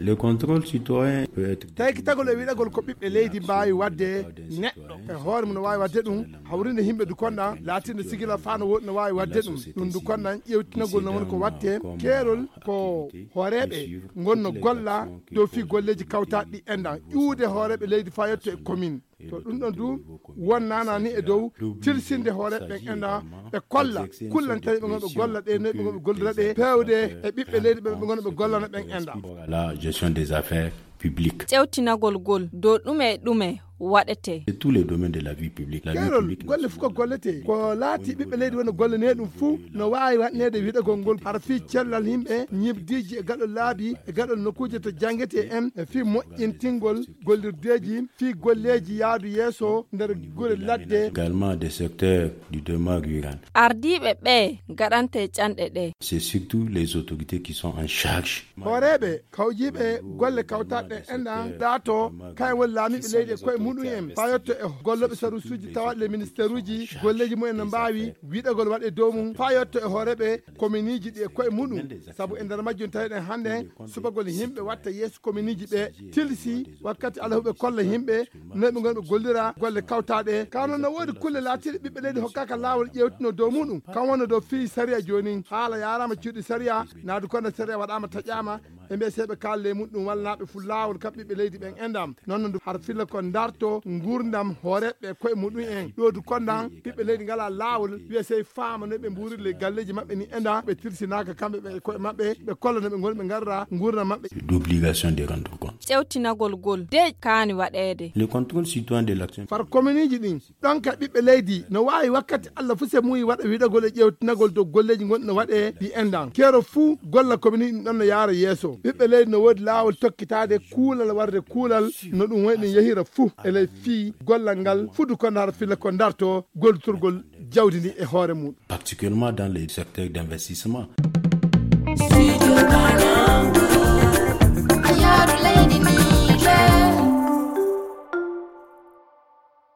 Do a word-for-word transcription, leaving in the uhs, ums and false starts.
Le contrôle citoyen peut être taykitagol e wiɗagol ko ɓiɓɓe leydi mbaawi waɗde neɗɗo e hoore mum no waawi waɗde ɗum, hawrinde yimɓe du konɗan laatinde sigila faa no woodi no waawi waɗde ɗum. Ɗum du konɗan ƴeewtinagol no woni ko waɗte keerol ko hooreeɓe ngonno golla dow fii golleeji kawtaaɗi ɗi enɗan ƴuwde hooreeɓe leydi faa yetto e commune. To ɗum ɗon du won naana ni e dow tilsinde hooreeɓe ɓen enɗan ɓe kolla kullanteeɓe ɓe ngonɓe golla ɗe noy ɓe ngonɓe gollira ɗe peewde e ɓiɓɓe leydi ɓen ɓe ngonɓe gollana ɓen enɗan. La gestion des affaires publiques. Ƴewtinagol ngol dow ɗume e ɗume waɗetee. Tous les domaines de la vie publique. La vie keerol golle fof ko golletee ko laati ɓiɓɓe leydi wonno gollanee ɗum fuu no waawi waɗneede wiɗagol ngol hara fii cellal yimɓe ñibdiiji e gaɗol laabi e gaɗol nokkuuje to janngetee en e fii moƴƴintingol gollirdeeji fii golleeji yaadu yeeso nder gure ladde. Également des secteurs du développement rural. Ardiiɓe ɓee ngaɗantee canɗe ɗee. C'est surtout les autorités qui sont en charge. Hooreeɓe kawjiiɓe golle kawtaaɗe ɗen enɗan ɗaato kayen woni laamiiɓe leydi e koye muɗum en faa yetto e gollooɓe sarusuuji tawaaɗi le ministeeruuji golleeji mumen no mbaawi wiɗagol waɗe dow mum faa yetto e hooreeɓe kominiiji ɗi e koye muɗum. Sabu e nder majjum tawiɗen hannde subagol yimɓe watta yeeso kominiiji ɓe tilsi wakkati alaa huɓe kolla yimɓe noy ɓe ngonɓe gollira golle kawtaaɗe ka noon no woodi kulle laatiiɗe ɓiɓɓe leydi hokkaaka laawol ƴeewtino dow muɗum kam wonno dow fii sariya joonin haala yaaraama cuuɗi sariya naadu konde sariya waɗaama taƴaama ɓe mbiya sey ɓe kaalle muɗum walla naa ɓe fuu laawol kam ɓiɓɓe leydi ɓen enɗan noon no har filla ko ndarto nguurndam hooreeɓe koye muɗum en ɗoodu konɗan ɓiɓɓe leydi ngalaa laawol wiya sey faama no ɓe mbuurirle galleeji maɓɓe ni enɗan ɓe tilsinaaka kamɓe ɓe koye maɓɓe ɓe kolla no ɓe ngoni ɓe ngarra nguurndam maɓɓe. D'obligation de rendre compte. Ƴewtinagol ngol de kaani waɗeede. Le contrôle citoyen de l'action. Far kominiiji ɗin ɗon ka ɓiɓɓe leydi no waawi wakkati Allah fuu se muuyi waɗa wiɗagol e ƴewtinagol dow golleeji gonɗi no waɗee ɗi enɗan keero fuu golla kominiiji ɗin ɗon no yaara yeeso ɓiɓɓe leydi no woodi laawol tokkitaade kuulal warde kuulal no ɗum woni ɗum yahira fuu e ley fii gollal ngal fudu ko ndar filla ko ndarto gollitorgol jawdi ndi e hoore muɗum. Particulièrement dans les secteurs d'investissement.